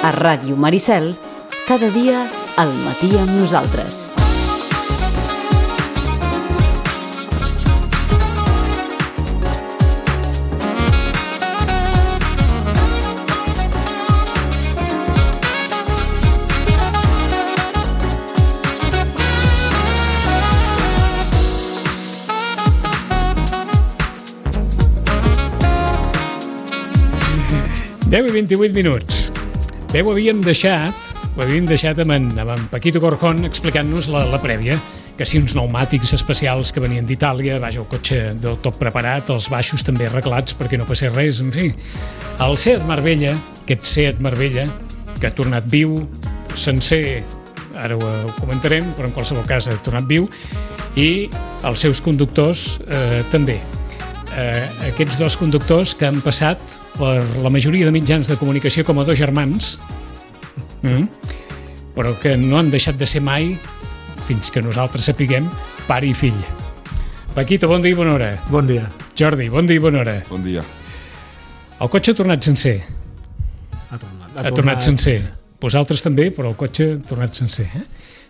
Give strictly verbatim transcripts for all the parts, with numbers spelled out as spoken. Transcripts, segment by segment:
A Ràdio Maricel, cada dia al matí amb nosaltres. deu i vint-i-vuit minuts. Bé, ho havíem deixat, ho havíem deixat amb en, amb en Paquito Corjón explicant-nos la, la prèvia, que si uns pneumàtics especials que venien d'Itàlia, vaja, el cotxe del tot preparat, els baixos també arreglats perquè no passés res, en fi. El Seat Marbella, aquest Seat Marbella, que ha tornat viu, sencer, ara ho, ho comentarem, però en qualsevol cas ha tornat viu, i els seus conductors eh, també. Eh, aquests dos conductors que han passat per la majoria de mitjans de comunicació com a dos germans, mm, però que no han deixat de ser mai, fins que nosaltres sapiguem, pare i fill. Paquito, bon dia i bona hora. Bon dia. Jordi, bon dia i bona hora. Bon dia. El cotxe ha tornat sencer. Ha tornat. Ha, ha tornat, tornat sencer. Vosaltres també, però el cotxe ha tornat sencer. Eh?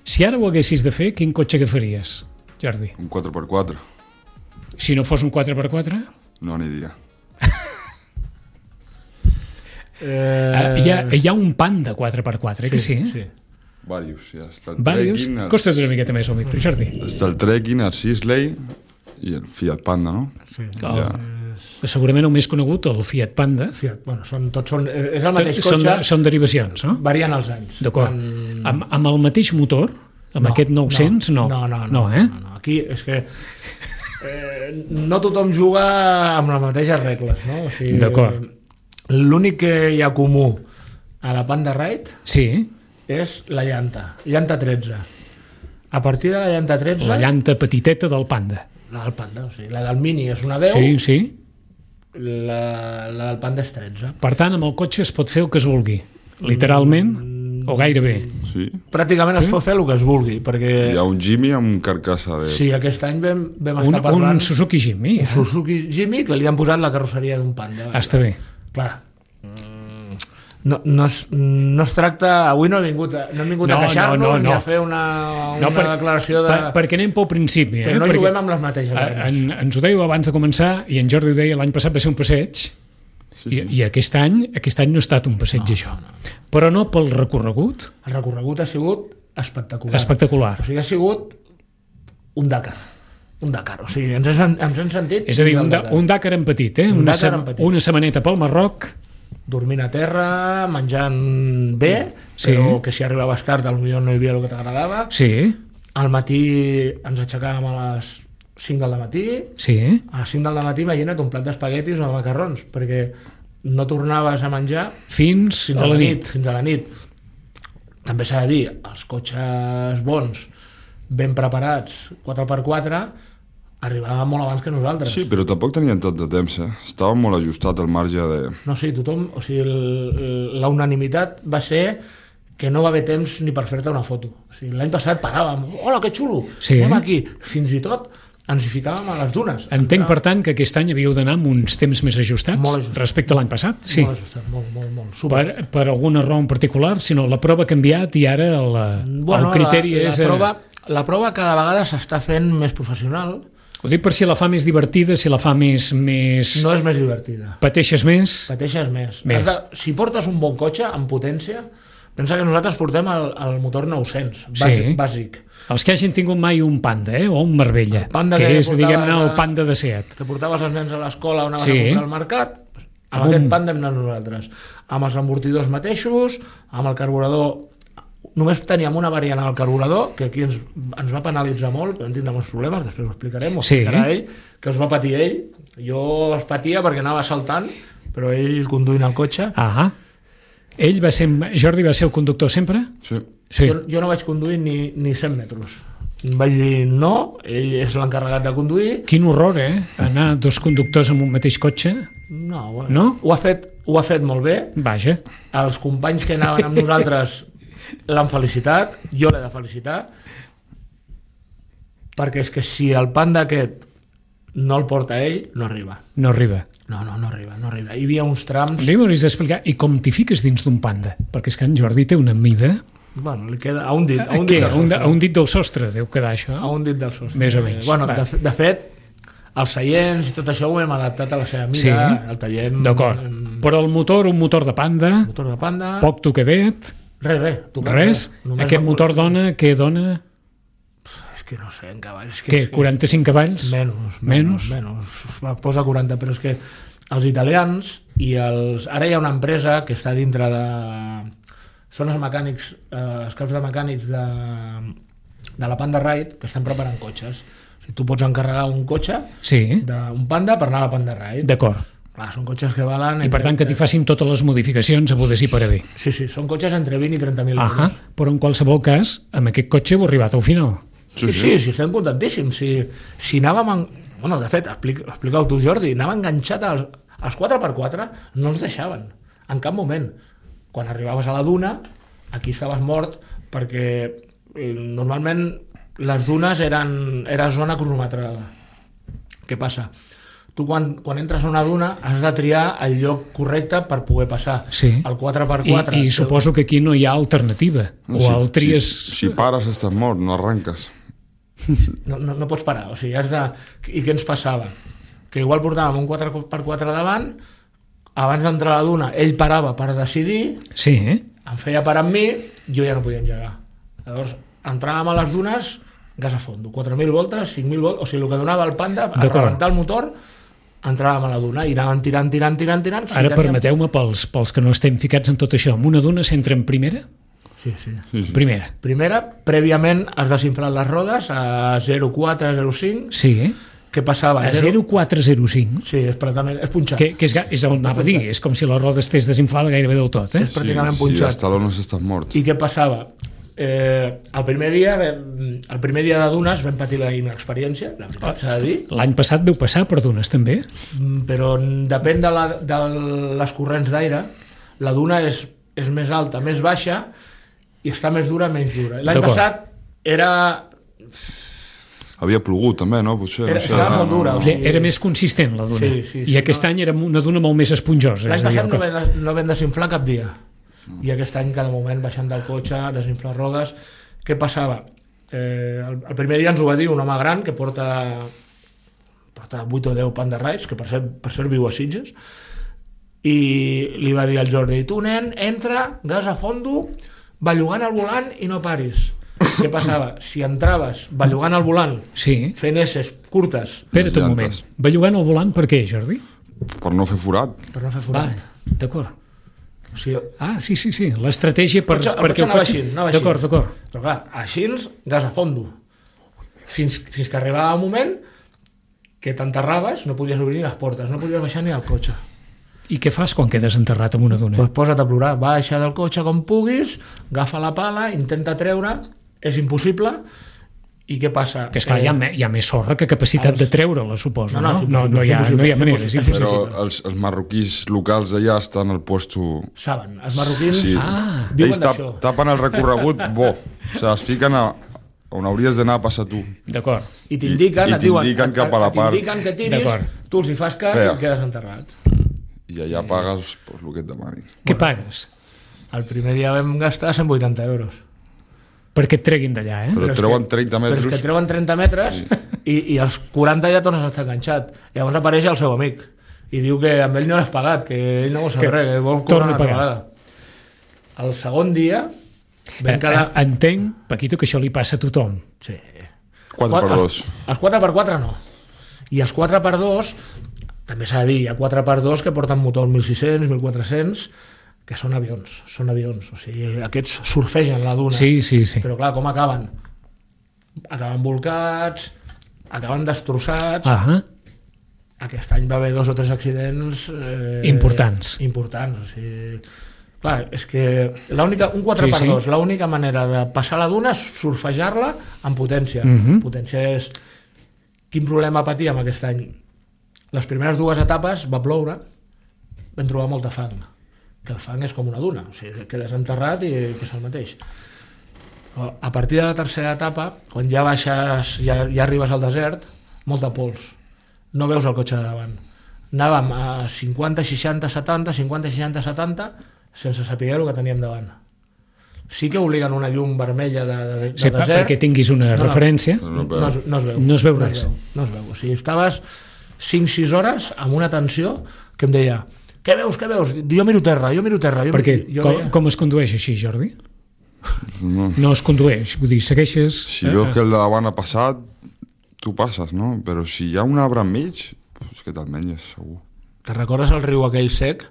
Si ara ho haguessis de fer, quin cotxe agafaries, Jordi? Un quatre per quatre. Si no fos un quatre per quatre? No aniria. eh... hi, ha, hi ha un Panda quatre per quatre, sí, que sí? Sí. Varios, ja està el Varios? Trekking, els... Costa't una miqueta més al micro, Jordi. Està el Trekking, el Sisley i el Fiat Panda, no? Sí. Oh. Ja. Segurament el més conegut, el Fiat Panda. Fiat, bueno, són, tots són, és el mateix són, cotxe, de, són derivacions, no? varien els anys. D'acord. En... Amb, amb el mateix motor, amb No, aquest nou-cents, no. No, no, no. no, eh? no, no. Aquí és que eh, no tothom juga amb les mateixes regles, no? O sigui, D'acord. L'únic que hi ha comú a la Panda Ride Sí, és la llanta, llanta tretze. A partir de la llanta tretze... la llanta petiteta del Panda. La del Panda, o sigui, la del Mini és una deu, Sí, sí. la, la del Panda és tretze. Per tant, amb el cotxe es pot fer el que es vulgui. Literalment, mm, o gairebé. Sí. Pràcticament es pot fer el que es vulgui, perquè... Hi ha un Jimmy amb carcassa de... Sí, aquest any vam, vam Un, estar parlant... un Suzuki Jimmy. un Eh? Suzuki Jimmy que li han posat la carrosseria d'un Panda. Ah, està bé. Clar, no, no, es, no es tracta... Avui no he vingut a, no hem vingut No, a queixar-nos no, no, no. ni a fer una, una No, per, declaració de... per, perquè anem pel principi. Eh? Però no perquè, juguem amb les mateixes eh, armes. en, ens ho dèieu abans de començar, i en Jordi ho deia, l'any passat va ser un passeig, Sí, i, sí. i aquest any aquest any no ha estat un passeig, No, això. no, no. Però no pel recorregut El recorregut ha sigut espectacular. espectacular. O sigui, ha sigut un Dakar. Un Dakar. O sigui, ens hem, ens hem sentit... És a dir, un, del da, un Dakar en petit, eh? Un Una, Dakar sem- en petit. una setmaneta pel Marroc. Dormint a terra, menjant bé, Sí. però que si arribaves tard potser no hi havia el que t'agradava. Sí, Al matí ens aixecàvem a les cinc del matí, sí. a les cinc del matí imagina't un plat d'espaguetis o de macarrons, perquè no tornaves a menjar Fins, fins a la nit. Fins a la nit. També s'ha de dir, els cotxes bons, ben preparats, quatre per quatre, arribaven molt abans que nosaltres. Sí, però tampoc tenien tot de temps, eh? Estava molt ajustat el marge de... No, sí, tothom... O sigui, el- la unanimitat va ser que no va haver temps ni per fer-te una foto. O sigui, l'any passat paràvem, hola, que xulo, Sí. anem aquí. Fins i tot ens hi ficàvem a les dunes. Entenc, per tant, que aquest any havíeu d'anar amb uns temps més ajustats, Molt ajustats. respecte a l'any passat. Sí. Molt ajustat, molt, molt, molt. Super. Per, per alguna raó en particular, sinó la prova ha canviat i ara el, Bueno, el criteri la, la és... eh, Prova, la prova cada vegada s'està fent més professional. Ho dic per si la fa més divertida, si la fa més... més... No és més divertida. Pateixes més? Pateixes més. Més. Has de, si portes un bon cotxe amb potència, pensa que nosaltres portem el, el motor nou-cents, bàsic. Sí. bàsic. Els que hagin tingut mai un Panda, eh? O un Marbella, El Panda que, que és, portaves diguem-ne, el a- Panda de Seat. Que portaves els nens a l'escola o anaves Sí. a comprar al mercat, doncs, amb Amb aquest un- Panda hem anat nosaltres. Amb els amortidors mateixos, amb el carburador... Només teníem una variant al carburador, que aquí ens, ens va penalitzar molt, vam tindre molts problemes, després ho explicarem, ho Sí. explicarà ell, que els va patir ell. Jo els patia perquè anava saltant, però ell conduint el cotxe. Ah, ell va ser... Jordi va ser el conductor sempre? Sí. Sí. Jo, jo no vaig conduir ni, ni cent metres. Vaig dir no, ell és l'encarregat de conduir. Quin horror, eh? Anar dos conductors en un mateix cotxe. No, bueno, No? Ho, ha fet, ho ha fet molt bé. Vaja. Els companys que anaven amb nosaltres l'han felicitat, jo l'he de felicitar, perquè és que si el Panda aquest no el porta ell, no arriba. No arriba. No, no, no arriba, no arriba. Hi havia uns trams... Un dia m'hauries d'explicar, i com t'hi fiques dins d'un panda? Perquè és que en Jordi té una mida... Bueno, li queda a un dit, a un Què? dit del A un, sostre. a un dit del sostre deu quedar això? A un dit del sostre. Més o menys. Bueno, Va. de, de fet, els seients i tot això ho hem adaptat a la seva mida, Sí. el tallem... D'acord. amb Però el motor, un motor de panda, motor de panda... poc tocadet, Res, res. tocat, res. Només Aquest la motor pulsa. dona, què dona? És que no sé, en cavalls... És que Què, és que quaranta-cinc cavalls? Menys, Menys? menys, menys. Va, posa quaranta, però és que els italians i els... Ara hi ha una empresa que està dintre de... Són els mecànics, eh, els caps de mecànics de, de la Panda Ride que estan preparant cotxes. O sigui, tu pots encarregar un cotxe Sí, d'un Panda per anar a la Panda Ride. d'acord. Clar, són cotxes que valen... I per tant que t'hi facin totes les modificacions a poder sí per haver. Sí, sí, són cotxes entre vint i trenta mil Ahà, euros. però en qualsevol cas, amb aquest cotxe heu arribat al final. Sí, sí, sí, estem contentíssims. Si, si anàvem... En... Bueno, de fet, explica, explica-ho tu, Jordi, anàvem enganxat als, als quatre per quatre, no ens deixaven, en cap moment. Quan arribaves a la duna, aquí estaves mort, perquè eh, normalment les dunes eren, era zona cronometrada. Què passa? Tu quan, quan entres a una duna has de triar el lloc correcte per poder passar. Sí. El quatre per I, quatre. I suposo que aquí no hi ha alternativa. O si, el tries... Si, si pares estàs mort, no arranques. No, no, no pots parar, o sigui, has de... I què ens passava? Que igual portàvem un quatre per quatre davant, abans d'entrar a la duna ell parava per decidir, Sí, eh? em feia parar amb mi, jo ja no podia engegar. Llavors entràvem a les dunes, gas a fondo, quatre mil voltes, cinc mil voltes, o sigui, el que donava el Panda a D'acord. rebentar el motor, entràvem a la duna i anàvem tirant, tirant, tirant, tirant. Si Ara teníem- permeteu-me, pels, pels que no estem ficats en tot això, amb una duna s'entra en primera? Sí, sí. Primera. Primera, prèviament has desinflat les rodes a zero coma quatre, zero coma cinc. Sí, eh? Què passava? A zero coma quatre zero cinc. Sí, és pràcticament, és punxat. Que, que és, ga- és el anava a dir, és com si la roda estés desinflada gairebé del tot, eh? És pràcticament si, si punxat. els talons estàs mort. I què passava? Eh, el primer dia vam, el primer dia de dunes vam patir la inexperiència, la veritat s'ha de dir, L'any passat veu passar per dunes, també? mm, però depèn de, la, de les corrents d'aire, la duna és, és més alta, més baixa, i està més dura, menys dura. L'any D'acord. passat era... Havia plogut també, no? Potser, Era- no sé, estava no, molt dura, no, o no. sigui- Era més consistent, la duna. Sí, sí, sí, I aquest no. any era una duna molt més esponjosa. L'any és a dir, passat no que- vam, no vam desinflar cap dia. I aquest any, cada moment, baixant del cotxe, desinflar rodes. Què passava? Eh, el, el primer dia ens ho va dir un home gran que porta, porta vuit o deu Panda Rides, que per cert, per cert viu a Sitges, i li va dir al Jordi: tu, nen, entra, gas a fondo, bellugant el volant i no paris. Què passava? Si entraves bellugant el volant, Sí. fent esses curtes, Espera't un moment. llantes. Bellugant el volant per què, Jordi? Per no fer forat. per no fer Va, forat. d'acord. O sigui, Ah, sí, sí, sí. L'estratègia per... El cotxe- el perquè cotxe anava així, anava així. D'acord, d'acord. Però clar, així, gas a fondo. Fins, fins que arribava un moment que t'enterraves, no podies obrir ni les portes, no podies baixar ni al cotxe. I què fas quan quedes enterrat amb una duna? Doncs posa't a plorar, baixa del cotxe com puguis, agafa la pala, intenta treure, és impossible, i què passa? Que esclar, hi, ha, me- hi ha més sorra que capacitat els- de treure-la, suposo, No, no? no, és No, impossible, no, hi ha, és impossible, no hi ha és manera, és impossible. impossible. Però els, els marroquins locals d'allà estan al puesto... Saben, els marroquins Sí. Ah, viuen Ells tap, d'això. tapen el recorregut bo. O sigui, es fiquen a on hauries d'anar a passar tu. D'acord. I t'indiquen, I- i et diuen, t'indiquen et- cap a la et part. T'indiquen que tiris, D'acord. tu els hi fas cas Fea. i quedes enterrat. I allà pagues pues, el que et demanin. Què pagues? El primer dia vam gastar cent vuitanta euros. Perquè et treguin d'allà, eh? Però és treuen que- trenta Però és metres. que treuen trenta metres i, i els quaranta ja tornes a estar enganxat. Llavors apareix el seu amic i diu que amb ell no l'has pagat, que ell no vol saber Que res, que vol torna cobrar una a pagar. vegada. El segon dia vam Eh, quedar... eh, Entenc, Paquito, que això li passa a tothom. Sí. quatre per dos. Els, els quatre per quatre no. I els quatre per dos, també s'ha de dir, hi ha quatre per dos que porten motor mil sis-cents, mil quatre-cents, que són avions, són avions. O sigui, aquests surfegen la duna. Sí, sí, sí. Però clar, com acaben? Acaben volcats, acaben destrossats. Ah, Aquest any va haver dos o tres accidents eh, Importants. importants. O sigui, clar, és que l'única, un quatre Sí, per sí. dos, l'única manera de passar la duna és surfejar-la amb potència. Mhm. Potència és... Quin problema patíem aquest any? Les primeres dues etapes va ploure, vam trobar molta fang, que el fang és com una duna, o sigui, quedes enterrat i és el mateix. Però a partir de la tercera etapa, quan ja baixes, ja, ja arribes al desert, molta pols. No veus el cotxe de davant. anàvem a cinquanta, seixanta, setanta, cinquanta, seixanta, setanta, sense saber el que teníem davant. Sí que obliguen una llum vermella de, de, de sí, desert. Perquè tinguis una no, referència. No, no, no, es, no es veu. No es veu no res. Es veu, no es veu. O sigui, estaves cinc sis hores amb una tensió que em deia què veus, què veus? Jo miro terra, jo miro terra. Jo Perquè jo com, veia... com es condueix així, Jordi? No, No es condueix, vull dir, segueixes... si veus que el davant ha passat, tu passes, no? Però si hi ha un arbre enmig, és que te'l menges, segur. Te recordes el riu aquell sec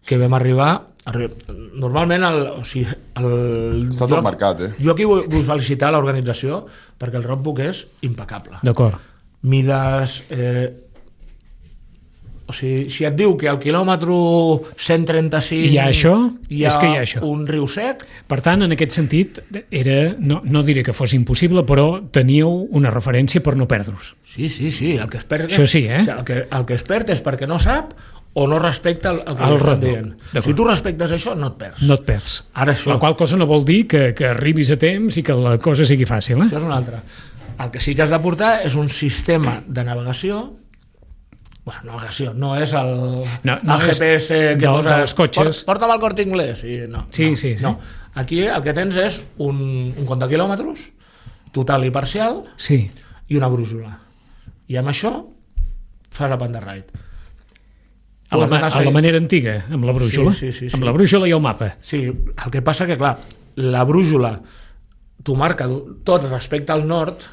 que vam arribar... Arri... Normalment, el, o sigui, el... Està tot marcat, eh? Jo aquí vull, vull felicitar l'organització perquè el roadbook és impecable. D'acord. Mides... Eh, o sigui, si et diu que al quilòmetre cent trenta-cinc Hi ha això, hi ha, és que hi ha això. un riu sec. Per tant, en aquest sentit, era, no, no diré que fos impossible, però teníeu una referència per no perdre-us. Sí, sí, sí, el que es perd... Això sí, eh? O sigui, el, que, el que es perd és perquè no sap o no respecta el, el que El li estan roadbook, dient. d'acord. Si tu respectes això, no et perds. No et perds. Ara això. La qual cosa no vol dir que, que arribis a temps i que la cosa sigui fàcil, eh? Això és una altra. El que sí que has de portar és un sistema de navegació. Bueno, navegació, no és el, No, no el és G P S que del- poses... dels cotxes. Port, porta'm al Corte Inglés. I no, Sí, no, sí, sí. No. Aquí el que tens és un, un compte de quilòmetres, total i parcial, Sí. i una brújula. I amb això fas a Pandarraid. A la, ma- a la manera antiga, amb la brújula. Sí, sí, sí, sí. Amb la brújula i el mapa. Sí, el que passa que, clar, la brújula t'ho marca tot respecte al nord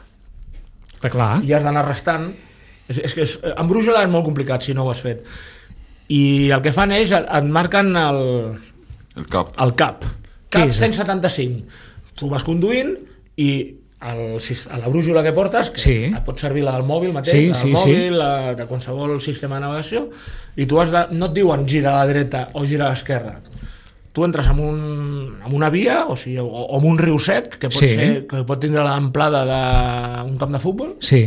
Està clar. i has d'anar restant. És, és que és, amb brújula és molt complicat si no ho has fet. I el que fan ells, et, et marquen el, El cap. el cap. Què Cap és? cent setanta-cinc. Tu vas conduint i el, a la brújula que portes, que Sí. et pot servir la del mòbil mateix, Sí, la del sí, mòbil, sí. la, de qualsevol sistema de navegació, i tu has de, no et diuen gira a la dreta o gira a l'esquerra. Tu entres en, un, en una via, o sigui, o, o en un riu sec, que pot, Sí. ser, que pot tindre l'amplada d'un camp de futbol, Sí,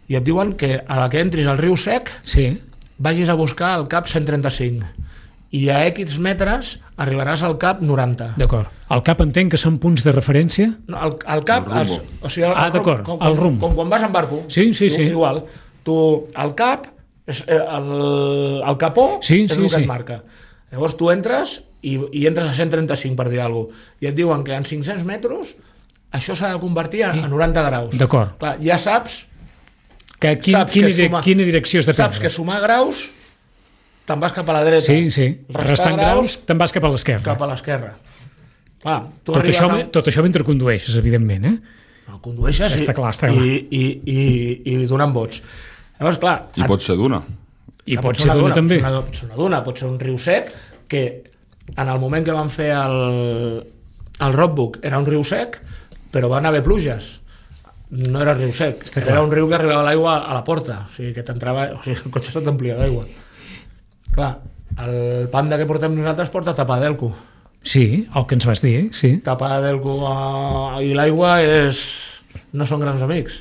i et diuen que a la que entris al riu sec sí. vagis a buscar el cap cent trenta-cinc i a X metres arribaràs al cap noranta. D'acord. El cap entenc que són punts de referència? No, el, el cap... El Els, rumbo. o sigui, el, Ah, el d'acord, com, el com, rumbo. com quan vas en barco. Sí, sí, tu, sí. Igual. Tu, el cap, és, eh, el, el capó Sí, és sí, el que sí. et marca. Llavors tu entres i, i entres a cent trenta-cinc, per dir alguna cosa, i et diuen que en cinc-cents metres això s'ha de convertir a, a noranta graus. D'acord. Clar, ja saps... Que, quin, saps quina, que dire, sumar- quina direcció has de Saps prendre? que sumar graus te'n vas cap a la dreta. Sí, sí. Restar Restant graus, te'n vas cap a l'esquerra. cap a l'esquerra. Clar, tu Tot arribes això, a... tot això mentre condueixes, evidentment, eh? No, condueixes Està i, clar, està clar. i, i, i, i donant vots. Llavors, clar... I pot ser d'una. I Ah, pot ser d'una també. Pot ser una, pot ser una duna, pot ser un riu sec, que en el moment que van fer el, el roadbook era un riu sec, però van haver pluges. No era riu sec, Està era clar. un riu que arribava l'aigua a la porta, o sigui que t'entrava, o sigui, el cotxe se t'omplia d'aigua. Clar, el panda que portem nosaltres porta tapada d'elco. Sí, el que ens vas dir, sí. Tapada d'elco eh, i l'aigua és... no són grans amics.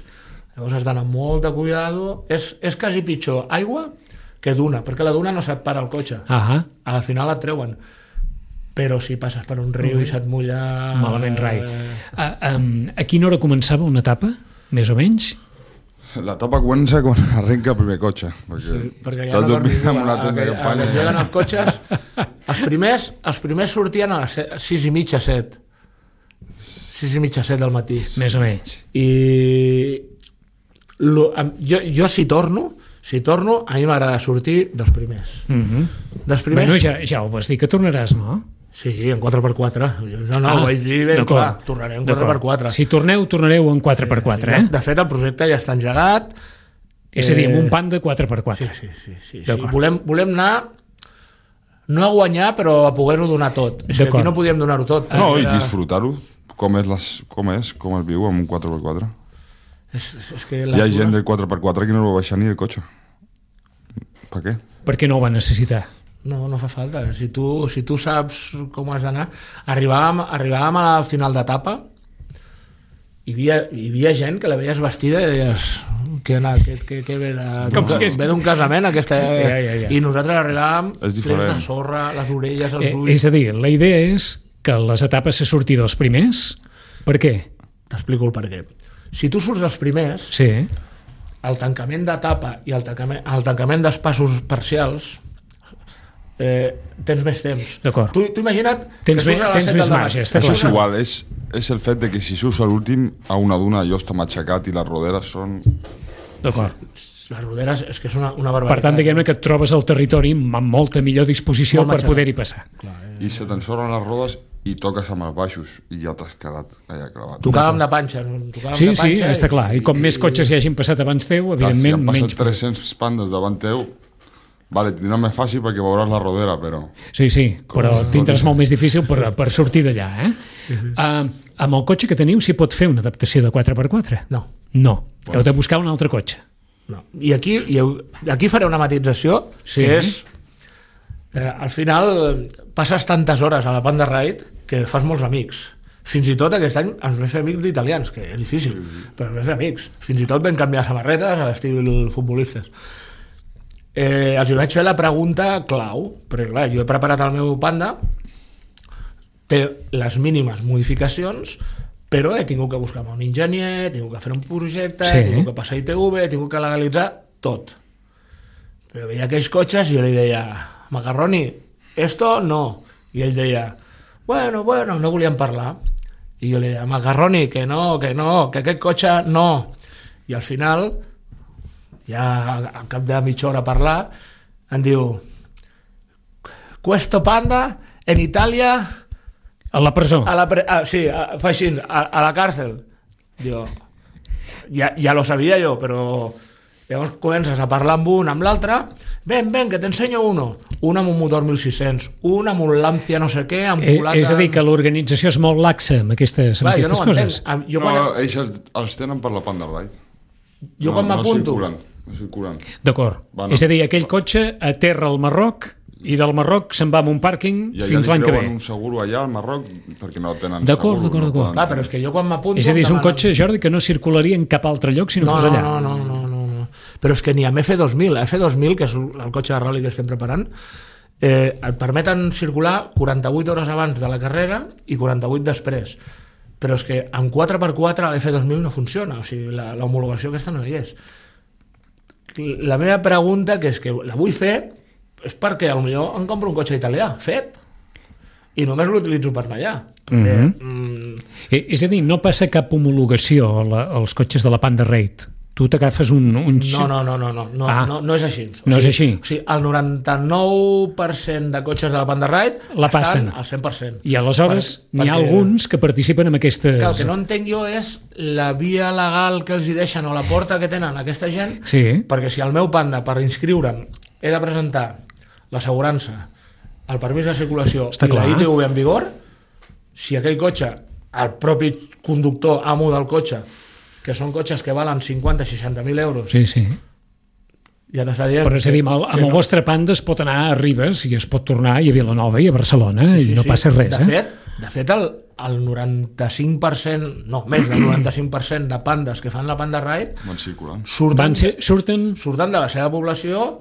Llavors has d'anar amb molt de cuidado. És, és quasi pitjor aigua que duna, perquè la duna no se't para el cotxe. Ah, Al final et treuen. Però si passes per un riu i se't mulla... malament rai. Eh, A, um, a quina hora començava una etapa, més o menys? La etapa comença quan arrenca el primer cotxe. Perquè, sí, perquè ja estàs no dormint dormim, en una a- tenda a- de a- campanya. a- lleguen els cotxes, els primers, els primers sortien a les set- sis i mitja, set. Sis i mitja, set del matí. Més o menys. I lo, em- jo, jo si torno, si torno, a mi m'agrada sortir dels primers. Mm -hmm. Dels primers... Bueno, ja, ja ho vas dir que tornaràs, no? Sí, en quatre per quatre. No, no, Ah, ho vaig dir ben d'acord. clar. Tornarem en quatre per quatre. Si torneu, tornareu en quatre per quatre, eh? De fet, el projecte ja està engegat. És a dir, amb Eh, un panda quatre per Sí, quatre. sí, sí. sí, sí. D'acord. Volem, volem anar no a guanyar, però a poder-ho donar tot. És que D'acord. aquí no podíem donar-ho tot. No, i Era- disfrutar-ho. Com és, les, com és, com es viu amb un quatre per quatre. És, és, és que Hi ha les gent dues- del quatre per quatre que no va baixar ni el cotxe. Per què? Perquè no ho va necessitar. No, no fa falta. Si tu, si tu saps com has d'anar... Arribàvem, arribàvem a la final d'etapa i hi havia, hi havia gent que la veies vestida i deies que, que, que, que ve, de, Com si hagués- ve d'un casament aquesta... Ja, ja, ja. I nosaltres arribàvem És diferent. plens de sorra, les orelles, els Eh, ulls... és a dir, la idea és que les etapes se sortir dels primers. Per què? T'explico el per què. Si tu surts dels primers, Sí, el tancament d'etapa i el tancament, el tancament d'espassos parcials eh, tens més temps. D'acord. Tu, tu imagina't tens que més, tens més marge. Això és igual, és, és el fet de que si surts a l'últim a una duna allò està matxacat i les roderes són... D'acord. Les roderes és que és una, una barbaritat. Per tant, diguem-ne que et trobes al territori amb molta millor disposició per poder-hi passar. Clar, eh? I se t'ensorren les rodes i toques amb els baixos i ja t'has quedat allà clavat. Tocàvem de panxa. Tocàvem Sí, de panxa sí, està clar. I com i, més cotxes hi hagin passat abans teu, evidentment, si han menys... passat tres-cents pandes davant teu, vale, tindrà més fàcil perquè veuràs la rodera, però... Sí, sí, però tindràs molt més difícil per, per sortir d'allà, eh? Uh-huh. Uh, amb el cotxe que teniu s'hi pot fer una adaptació de quatre per quatre? No. No. Heu de buscar un altre cotxe. No. I aquí, i aquí faré una matització, sí. que és... Eh, al final passes tantes hores a la Panda Ride que fas molts amics. Fins i tot aquest any ens vam fer amics d'italians, que és difícil, però ens vam fer amics. Fins i tot vam canviar samarretes a l'estil futbolistes. Eh, els vaig fer la pregunta clau, perquè clar, jo he preparat el meu Panda, té les mínimes modificacions, però he tingut que buscar un enginyer, he tingut que fer un projecte, sí. he tingut que passar I T V, he tingut que legalitzar tot. Però veia aquells cotxes i jo li deia, Macarroni, esto no. I ell deia, bueno, bueno, no volíem parlar. I jo li deia, Macarroni, que no, que no, que aquest cotxe no. I al final, ja al cap de mitja hora a parlar, em diu, questo Panda en Itàlia... A la presó. A la pre a, sí, a, fa així, a, a la càrcel. Diu, ja, ja lo sabia jo, però... Llavors comences a parlar amb un, amb l'altre, ven, ven, que t'ensenyo uno. Un amb un motor mil sis-cents, un amb un Lancia no sé què, amb eh, és a dir, que l'organització és molt laxa amb aquestes, amb Clar, aquestes jo no coses. Jo quan... No, ells els, els tenen per la Panda Ride. Jo no, quan m'apunto... No circulen, no circulen. D'acord. Bueno, és a dir, aquell cotxe aterra al Marroc i del Marroc se'n va a un pàrquing fins l'any que ve. I allà li creuen un seguro allà al Marroc perquè no tenen d'acord, seguro. D'acord, d'acord. No Clar, però és que jo quan m'apunto... És a dir, és un cotxe, Jordi, que no circularia en cap altre lloc si no, no fos allà. No, no, no, no, no. Però és que ni amb F dos mil, F dos mil, que és el cotxe de rally que estem preparant, eh, et permeten circular quaranta-vuit hores abans de la carrera i quaranta-vuit després. Però és que amb quatre per quatre l'F dos mil no funciona, o sigui, l'homologació aquesta no hi és. La meva pregunta, que és que la vull fer, és perquè potser em compro un cotxe italià, fet, i només l'utilitzo per anar allà. Perquè, mm-hmm. mm... És a dir, no passa cap homologació als cotxes de la Panda Ride. Tu t'agafes un, un... No, no, no, no, no, no, ah. no, no és així. O no sigui, és així. O sigui, el noranta-nou per cent de cotxes de la Panda Ride la passen estan al cent per cent. I aleshores per, n'hi ha perquè... alguns que participen en aquestes... Que el que no entenc jo és la via legal que els hi deixen o la porta que tenen aquesta gent, sí. perquè si el meu Panda, per inscriure'm, he de presentar l'assegurança, el permís de circulació Està i clar. La I T V en vigor, si aquell cotxe, el propi conductor, amo del cotxe, que són cotxes que valen cinquanta a seixanta mil euros. Sí, sí. Ja t'està dient... Però és a dir, amb el, amb el no. vostre Panda es pot anar a Ribes i es pot tornar i a Vilanova i a Barcelona sí, sí, i no sí. passa res. De eh? fet, de fet el, el noranta-cinc per cent, no, més del noranta-cinc per cent de pandes que fan la Panda Ride van circulant. Surten, van ser, surten... surten de la seva població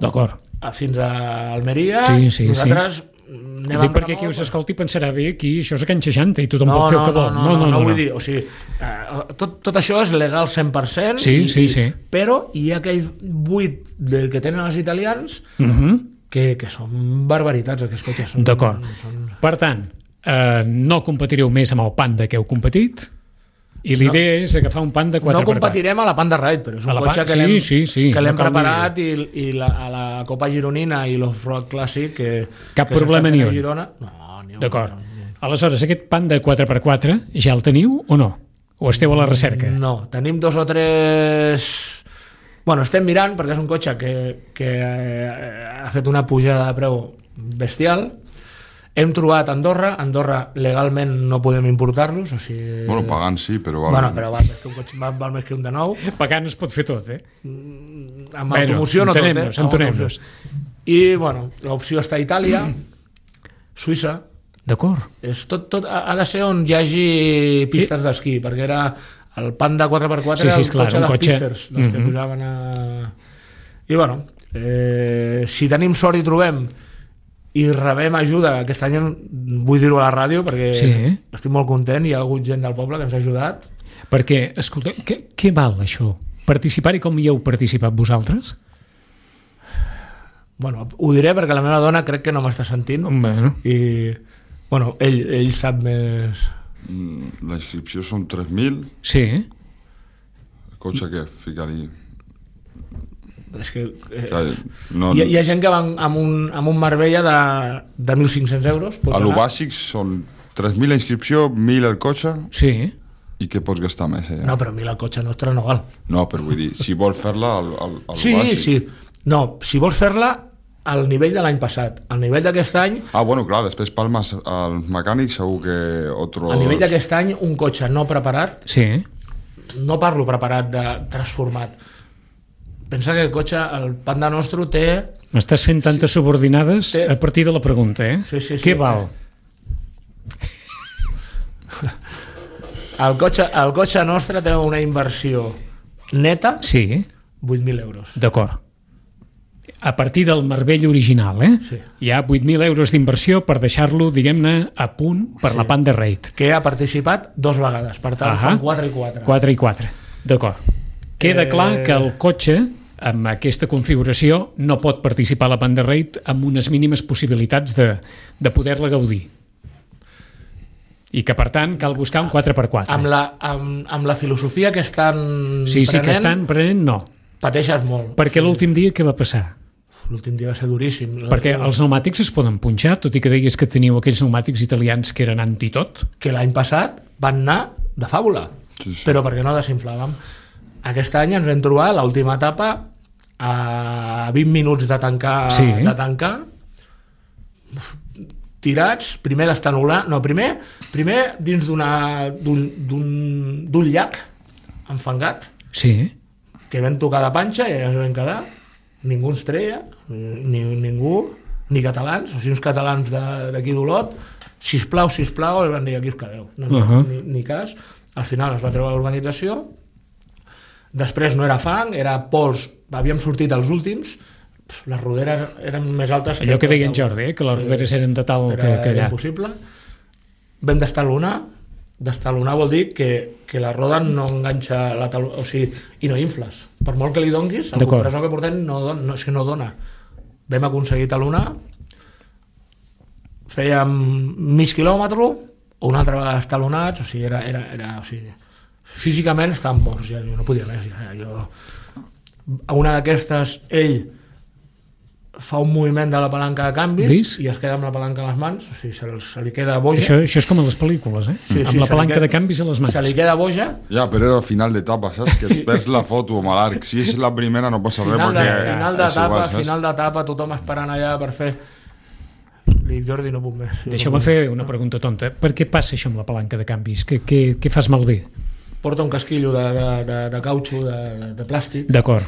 fins a Almeria. Sí, sí, nosaltres... Sí. Dic perquè qui us escolti pensarà bé aquí això és a Can seixanta i tothom no, pot fer no, el que vol. No, no, no, no, no, no vull dir, o sigui, eh, tot, tot això és legal cent per cent, sí, i, sí, sí. I, però hi ha aquell buit del que tenen els italians uh-huh. que, que són barbaritats, aquests cotxes. D'acord. Són... Per tant, eh, no competireu més amb el Panda que heu competit i l'idea no, és agafar un Panda quatre per quatre. No competirem a la Panda Ride, però és un cotxe que l'hem sí, sí, sí, que l'hem no preparat i, i la, a la Copa Gironina i l'Off-Road Clàssic que, cap que problema ni un. Girona, no, ni un. D'acord. Aleshores, aquest Panda quatre per quatre ja el teniu o no? O esteu a la recerca? No, tenim dos o tres... Bueno, estem mirant perquè és un cotxe que, que ha fet una pujada de preu bestial. Hem trobat Andorra, Andorra legalment no podem importar-los, o sigui... Bueno, pagant sí, però... Val... Bueno, però val més que un, cotxe, val, val més que un de nou. Pagant es pot fer tot, eh? Amb automoció no tot, eh? Entenem-nos. I, bueno, l'opció està a Itàlia, Suïssa... D'acord. És tot, tot, ha de ser on hi hagi pistes d'esquí, perquè era el Panda quatre per quatre sí, sí, era el clar, cotxe dels cotxe... pisters, dels mm-hmm. que pujaven a... I, bueno, eh, si tenim sort i trobem i rebem ajuda, aquest any vull dir-ho a la ràdio perquè sí. estic molt content, hi ha hagut gent del poble que ens ha ajudat. Perquè, escolta, què, què val això Participar-hi com hi heu participat vosaltres? Bueno, ho diré perquè la meva dona crec que no m'està sentint. Bueno. I, bueno, ell, ell sap més... Mm, La inscripció són tres mil. Sí. El cotxe què? Ficar-hi... És que... Eh, Clar, no, hi, ha- hi ha gent que va amb un, amb un Marbella de, de mil cinc-cents euros. pots a lo anar. bàsic són tres mil la inscripció, mil el cotxe, Sí. i què pots gastar més? Eh? No, però mil el cotxe nostre no val. No, però vull dir, si vols fer-la al, al, al Sí, bàsic... sí. No, si vols fer-la al nivell de l'any passat, al nivell d'aquest any, Ah, bueno, clar, després palmes al mecànic segur que otros... al nivell d'aquest any, un cotxe no preparat, Sí. no parlo preparat de transformat. Pensa que el cotxe, el Panda Nostro té... M'estàs fent tantes subordinades Té- a partir de la pregunta, eh? Sí, sí, sí. Què val? El cotxe, el cotxe nostre té una inversió neta, Sí, vuit mil euros. d'acord. A partir del Marbella original, eh? Sí. Hi ha vuit mil euros d'inversió per deixar-lo, diguem-ne, a punt per Sí. la Panda Raid. Que ha participat dos vegades, per tant, Ahà. són quatre i quatre. quatre i quatre. D'acord. Queda Eh, clar que el cotxe, amb aquesta configuració, no pot participar a la Panda Raid amb unes mínimes possibilitats de, de poder-la gaudir. I que, per tant, cal buscar un quatre per quatre. Amb la, amb, amb la filosofia que estan Sí, sí, prenent, que estan prenent, no. pateixes molt. Perquè l'últim dia què va passar? L'últim dia va ser duríssim. Perquè els pneumàtics es poden punxar, tot i que deies que teniu aquells pneumàtics italians que eren antitot. Que l'any passat van anar de fàbula, Sí, sí. però perquè no desinflàvem. Aquest any ens vam trobar l'última etapa a vint minuts de tancar, Sí. de tancar tirats, primer d'estanolar, no, primer, primer dins d'una d'un d'un- d'un llac enfangat, Sí. que vam tocar de panxa i ens vam quedar, ningú ens treia, ni, ningú, ni catalans, o sigui, uns catalans de- d'aquí d'Olot, sisplau, sisplau, i van dir, aquí us quedeu, no, no, Uh -huh. ni, ni cas. Al final es va treure l'organització, després no era fang, era pols, havíem sortit els últims, pf, les roderes eren més altes Allò que deia en tot. Jordi, eh? Que les roderes eren de tal que, Era, que era allà. impossible. Vam d'estalonar, d'estalonar vol dir que, que la roda no enganxa la tal... o sigui, i no infles. Per molt que li donguis, el D'acord. compressor que portem no, don, no, és que no dona. Vam aconseguir talonar, fèiem mig quilòmetre, o una altra vegada estalonats, o sigui, era, era, era o sigui, físicament estàvem morts, ja, jo no podia més. Ja, jo... A una d'aquestes, ell fa un moviment de la palanca de canvis Vis? i es queda amb la palanca a les mans, o sigui, se, se li queda boja. Això, això és com a les pel·lícules, eh? Sí, sí, Amb la se li palanca queda- de canvis a les mans. Se li queda boja. Ja, però era al final d'etapa, saps? Que et perds la foto amb l'arc. Si és la primera no passa res, Final de- perquè... final és d'etapa, igual, saps? final d'etapa, tothom esperant allà per fer... Li dic, Jordi, no puc més. Sí, Deixeu-me no puc fer una pregunta tonta. Per què passa això amb la palanca de canvis? Què, què, què fas malbé? més. Porta un casquillo de, de, de, de cautxo, de, de, de plàstic, D'acord.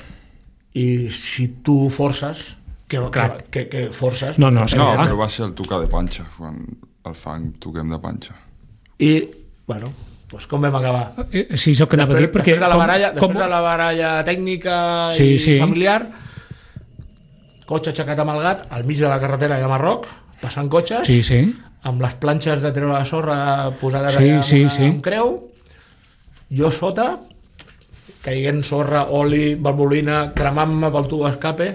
i si tu forces, que, que, Crac. que, que forces... No, no, sí, No, clar. però va ser el tocar de panxa, quan el fang toquem de panxa. I, bueno, doncs com vam acabar? Eh, Sí, és el que anava a dir, perquè... després de la com- baralla, com- després de la baralla tècnica Sí, i sí. familiar, cotxe aixecat amb el gat, al mig de la carretera de Marroc, passant cotxes, Sí, sí. amb les planxes de treure la sorra posades Sí, allà amb, sí, una, sí. amb creu, jo sota, caiguent sorra, oli, valvolina, cremant-me pel tub escape,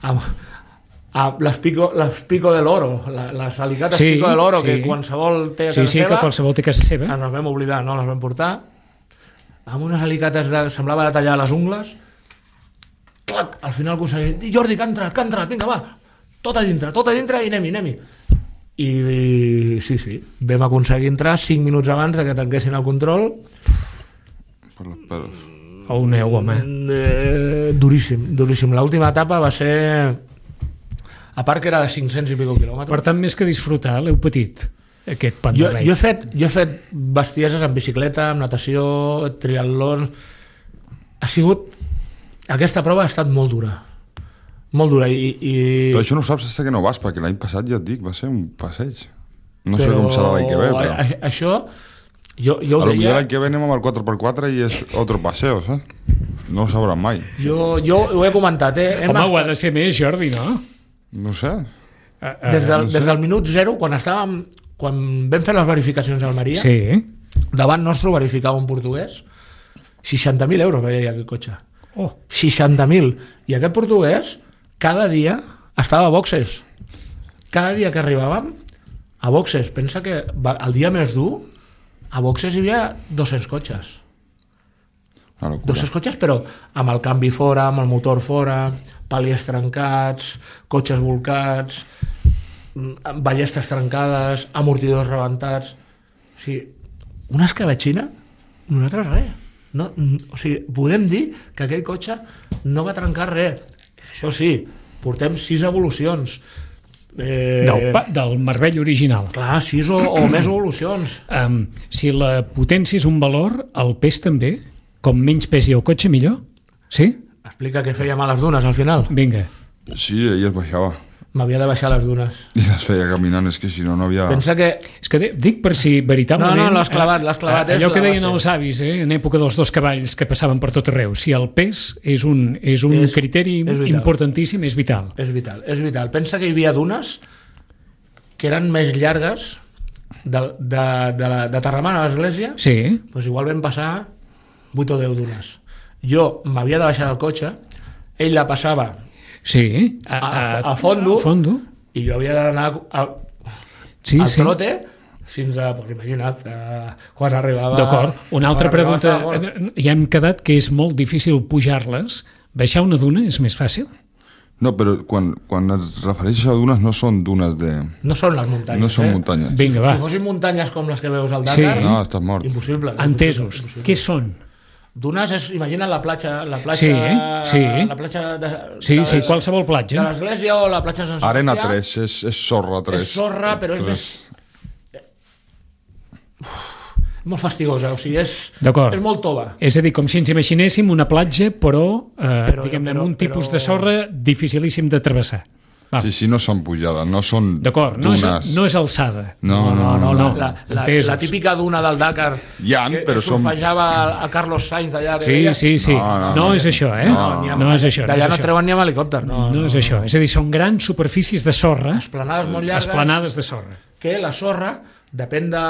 amb, amb les, pico, les pico de l'oro, la- les alicates Sí, pico de l'oro, sí. que qualsevol té a Sí, casa sí, que seva, qualsevol té a casa seva. ens les vam oblidar, no les vam portar, amb unes alicates de, semblava de tallar les ungles, clac, al final aconseguim, Jordi, que ha entrat, que ha entrat, vinga, va, tot a dintre, tot a dintre i anem-hi, anem-hi. I, i sí, sí, vam aconseguir entrar cinc minuts abans de que tanquessin el control. Per les peles. O un eu, home. Eh, duríssim, duríssim. L'última etapa va ser, a part que era de cinc-cents i pico quilòmetres. Per tant, més que disfrutar, l'heu patit, aquest Panda Jo, Raid. jo, he fet, jo he fet bestieses amb bicicleta, amb natació, triatlons. Ha sigut... Aquesta prova ha estat molt dura. Molt dura. I, i... Però això no ho saps fins que no vas, perquè l'any passat, ja et dic, va ser un passeig. No sé com serà l'any que ve, però... a- a- Això, jo, jo A ho lo millor deia... l'any que ve anem amb el quatre per quatre i és otro paseo, saps? No ho sabràs mai. Jo, jo ho he comentat, eh? Hem Home, ho ha estat- de ser més, Jordi, no? No sé. Des del, des del minut zero, quan estàvem... Quan vam fer les verificacions a Almeria, Sí. davant nostre verificava un portuguès, seixanta mil euros veia aquest cotxe. Oh. seixanta mil. I aquest portuguès cada dia estava a boxes. Cada dia que arribàvem a boxes. Pensa que el dia més dur a boxes hi havia dos-cents cotxes. dos-cents cotxes, però amb el canvi fora, amb el motor fora, paliers trencats, cotxes volcats, ballestes trencades, amortidors rebentats. O sigui, una escabetxina, nosaltres res. No, o sigui, podem dir que aquell cotxe no va trencar res. Això sí, portem sis evolucions. Eh... Del, del Marbell original. Clar, sis o, o més evolucions. Um, si la potència és un valor, el pes també? Com menys pesi el cotxe, millor? Sí? Explica què fèiem a les dunes, al final. Vinga. Sí, ell es baixava. M'havia de baixar a les dunes. I les feia caminant, és que si no, no havia... Pensa que... És que dic per si veritablement... No, no, l'has clavat, l'has clavat. Eh, allò que deien els avis, eh, en època dels dos cavalls que passaven per tot arreu, si el pes és un, és un és, criteri és importantíssim, és vital. És vital, és vital. Pensa que hi havia dunes que eren més llargues de, de, de, la, de Terramar a l'església, sí. Doncs igual vam passar vuit o deu dunes. Jo m'havia de baixar del cotxe, ell la passava sí, a, a, a, fondo, a fondo i jo havia d'anar al, sí, al sí. trote fins a, doncs imagina't, a, quan arribava... D'acord, una altra pregunta. Ja hem quedat que és molt difícil pujar-les. Baixar una duna és més fàcil? No, però quan, quan es refereixes a dunes no són dunes de... No són les muntanyes. No són eh? muntanyes. Vinga, va. Si fossin muntanyes com les que veus al Dakar... Sí. No, estàs mort. Impossible. Entesos. Impossible. Què són? Dunes és, imagina la platja, la platja, sí, sí. la platja de, sí, de, sí, qualsevol platja. De l'església o la platja de Sant Sebastià. Arena tres, és, és sorra tres. És sorra, però és més... Uf, molt fastigosa, o sigui, és, és molt tova. És a dir, com si ens imaginéssim una platja, però, eh, però diguem-ne, amb un però... tipus de sorra dificilíssim de travessar. Va. Sí, sí, no són pujades, no són d'acord, no és, no és alçada. No, no, no. no, no, la, la, la típica duna del Dakar ja, que, però que surfejava som... a Carlos Sainz allà. Sí, deia. sí, sí. No, no, no, no és això, eh? No, no, no és això. D'allà no, no treuen ni amb helicòpter. No, no, no és això. És a dir, són grans superfícies de sorra. Esplanades molt llargues. Esplanades de sorra. Que la sorra, depèn de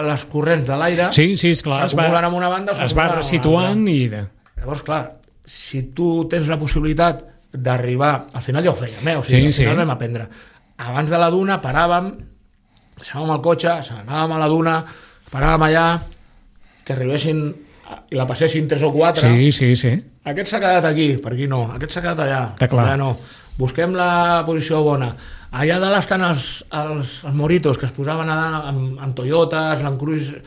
les corrents de l'aire, sí, sí, esclar, s'acumulen en una banda o es va resituant i... De... Llavors, clar, si tu tens la possibilitat d'arribar, al final ja ho fèiem, eh? O sigui, sí, al final sí. vam aprendre. Abans de la duna paràvem, deixàvem el cotxe, anàvem a la duna, paràvem allà, que arribessin i la passessin tres o quatre. Sí, sí, sí. Aquest s'ha quedat aquí, per aquí no. Aquest s'ha quedat allà. Està clar. Allà no. Busquem la posició bona. Allà dalt estan els, els, els moritos que es posaven allà amb, amb Toyotas, Land Cruiser...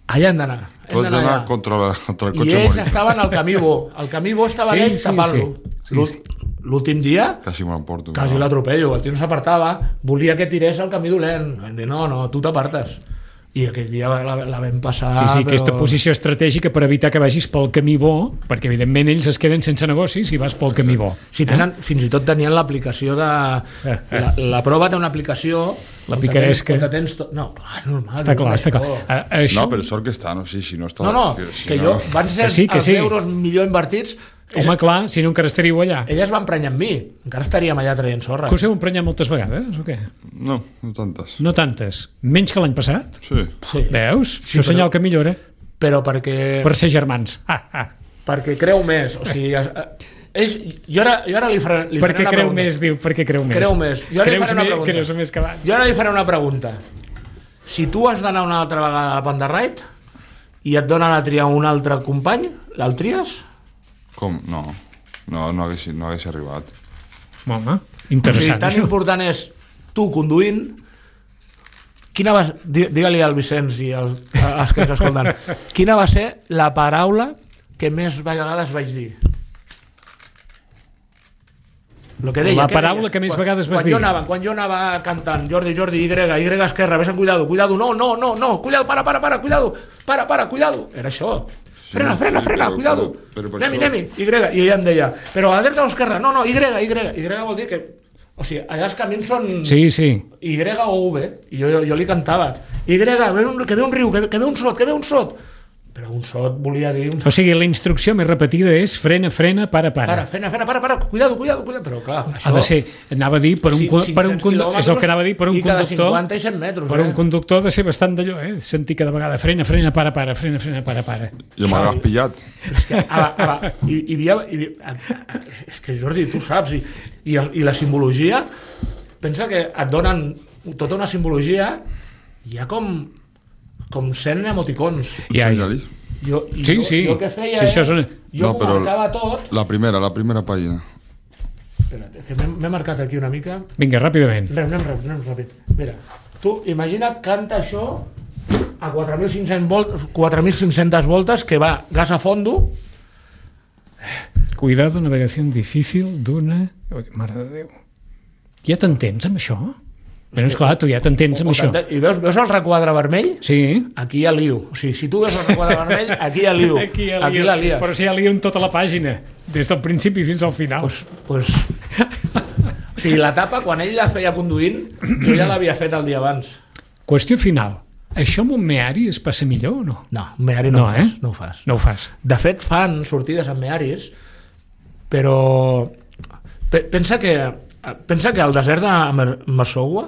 Allà hem d'anar. Tu has d'anar contra, la, contra el cotxe I ells morit. estaven al camí bo. El camí bo estava sí, ells sí, tapant-lo. Sí, sí, sí. L'últim dia... Quasi m'emporto. Quasi no. l'atropello. El tio no s'apartava. Volia que tirés al camí dolent. Vam dir, no, no, tu t'apartes. I aquell dia la, la vam passar... Sí, sí, però... aquesta posició estratègica per evitar que vagis pel camí bo, perquè evidentment ells es queden sense negocis si vas pel camí bo. Sí, tenen, eh? Fins i tot tenien l'aplicació de... Eh, eh. La, la prova té una aplicació... La picaresca. Tens tot... No, clar, normal. Està clar, està clar. Uh, això... No, però sort que està, no sé si no està... No, no, que, si que no... jo... Van ser que sí, que els sí. euros millor invertits... Home, clar, si no encara estaríeu allà. Elles van emprenyar amb mi. Encara estaríem allà traient sorra. Que us heu emprenyat moltes vegades, o què? No, no tantes. No tantes. Menys que l'any passat? Sí. sí. Veus? Sí, això senyal que millora. Però perquè... Per ser germans. Ah, ah. Perquè creu més. O sigui... És, jo, ara, jo ara li faré, li faré perquè una creu pregunta. més, diu, perquè creu més. Creu més. Jo ara li faré una més, pregunta. Creus més que abans. Jo ara li faré una pregunta. Si tu has d'anar una altra vegada a la Panda Ride i et donen a triar un altre company, l'el tries? Com? No. No, no hagués, no hagués arribat. Home, interessant. O sigui, tan això. important és tu conduint. Quina va, digue-li al Vicenç i als, als que ens escolten, quina va ser la paraula que més vegades vaig dir? Lo que deia, la que paraula deia? que més quan, vegades vas quan dir. Jo anava, quan jo anava cantant Jordi, Jordi, Y, Y esquerra, ves en cuidado, cuidado, no, no, no, no, cuidado, para, para, para, cuidado, para, para, cuidado. Era això. Frena, frena, frena, però, cuidado. Però, però anem-hi, això... anem-hi, Y. I ella em deia, però a la dreta o a l'esquerra? No, no, Y, Y. Y vol dir que... O sigui, allà els camins són... Sí, sí. Y o V. I jo, jo, jo li cantava. Y, ve un, que ve un riu, que, que ve un sot, que ve un sot. Però un sot volia dir... Un... O sigui, la instrucció més repetida és frena, frena, para, para. Para, frena, frena, para, para, cuidado, cuidado, cuidado. Però clar, això... Ha de ser, anava a dir, per un, Sí, per un conductor, és el que anava a dir, per un i cada conductor... cinquanta i cent metres, Per eh? un conductor ha de ser bastant d'allò, eh? Sentir cada vegada frena, frena, para, para, frena, frena, para, para. I m'hagués pillat. És que, ara, ara, hi, hi havia... Hi, és que, Jordi, tu saps, i, i, el, i la simbologia, pensa que et donen tota una simbologia, hi ha com, com cent emoticons. Ja, ja. Senyali. Jo, i Sí, jo, sí. jo què feia Sí, això és... és una- Jo No, m'ho però- marcava tot... La primera, la primera pàgina. Espera't, és que m'he m'he marcat aquí una mica... Vinga, ràpidament. Anem, anem, anem, anem ràpid. Mira, tu imagina't, canta això a quatre mil cinc-cents volt, quatre mil cinc-centes voltes, que va gas a fondo. Cuidado, navegació difícil d'una... Mare de Déu. Ja t'entens amb això? Però és clar, tu ja t'entens amb això. I veus, veus el requadre vermell? Sí. Aquí hi ha lío. O sigui, si tu veus el requadre vermell, aquí hi ha lío. Aquí hi ha Aquí lío. la lies. Però si hi ha lío en tota la pàgina, des del principi fins al final. Pues, pues... O sigui, la tapa, quan ell la feia conduint, jo ja l'havia fet el dia abans. Qüestió final. Això amb un meari es passa millor o no? No, un meari no, No, ho fas, eh? no ho fas. No ho fas. De fet, fan sortides amb mearis, però pe- pensa que pensa que al desert de Mer- Massoua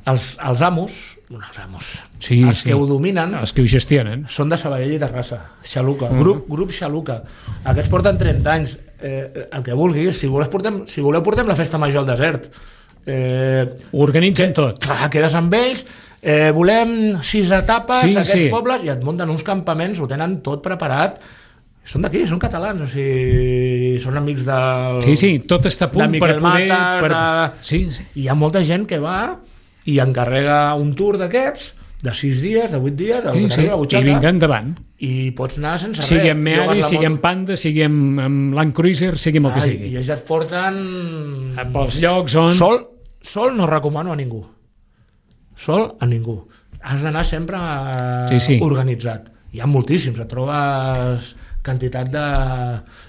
els, els amos, bueno, els amos, Sí, els sí. que ho dominen Els que ho gestionen. són de Sabadell i Terrassa, Xaluca, Mm. grup, grup Xaluca. Aquests porten trenta anys, eh, el que vulguis, si voleu portem, si voleu portem la festa major al desert. Eh, Ho organitzen tot. Clar, quedes amb ells, eh, volem sis etapes Sí, a aquests sí. pobles i et munten uns campaments, ho tenen tot preparat. Són d'aquí, són catalans, o sigui, són amics del... Sí, sí, tot està a punt de per Miquel poder... Matas, Per... de- Sí, sí. I hi ha molta gent que va i encarrega un tour d'aquests de sis dies, de vuit dies, el Sí, que sí. t'arriba a la I butxaca, vinga endavant. i pots anar sense Sigui res. amb Llogues Meari, la sigui moto. amb Panda, sigui amb, amb Land Cruiser, sigui amb el que Ai, sigui. I ells et porten... Pels llocs on... Sol, sol no recomano a ningú. Sol a ningú. Has d'anar sempre eh, Sí, sí. organitzat. Hi ha moltíssims, et trobes quantitat de...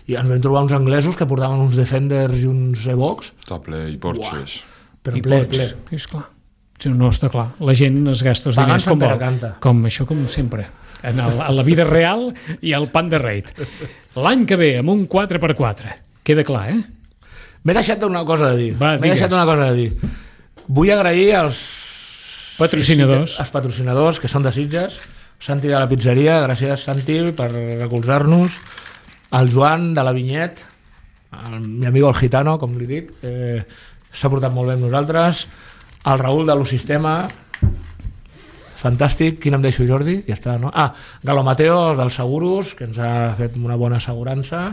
I ens vam trobar uns anglesos que portaven uns Defenders i uns Evox, Està ple, i Porsches. però I ple, pots. ple. Sí, esclar. Sí, no, està clar. La gent es gasta els Pagant diners com Sant Pere vol. canta. Com això, com sempre. En, el, en la vida real i el pan de reit. L'any que ve, amb un quatre per quatre. Queda clar, eh? M'he deixat una cosa de dir. Va, M'he digues. deixat una cosa de dir. Vull agrair als Patrocinadors. els patrocinadors que són de Sitges, Santi de la pizzeria, gràcies Santi per recolzar-nos, el Joan de la Vinyet, el mi amigo el gitano, com li dic, eh, s'ha portat molt bé amb nosaltres, el Raül de l'Osistema, fantàstic. Quin em deixo, Jordi? Ja està, no? Ah, Galo Mateo dels Seguros, que ens ha fet una bona assegurança,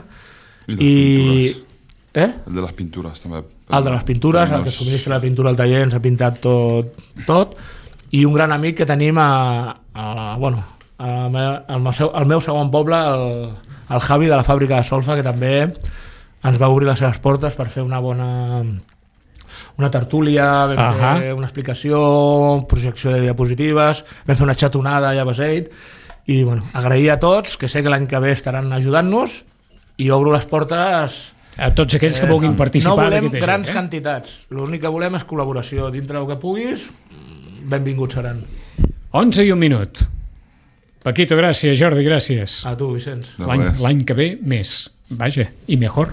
I les i... pintures. Eh? El de les pintures, també. El de les pintures, el que subministra la pintura al taller, ens ha pintat tot, tot, i un gran amic que tenim a, a, bueno, a, al, meu, al meu segon poble, el, el Javi de la fàbrica de Solfa, que també ens va obrir les seves portes per fer una bona una tertúlia, vam uh -huh. fer una explicació, projecció de diapositives, vam fer una xatonada allà a Beseit, i bueno, agrair a tots, que sé que l'any que ve estaran ajudant-nos, i obro les portes A tots aquells que vulguin participar. no volem d'aquesta grans gent, eh? quantitats, l'únic que volem és col·laboració dintre del que puguis, benvinguts seran. onze i un minut. Paquito, gràcies. Jordi, gràcies. A tu, Vicenç. De L'any res. l'any que ve, més. Vaja, i mejor.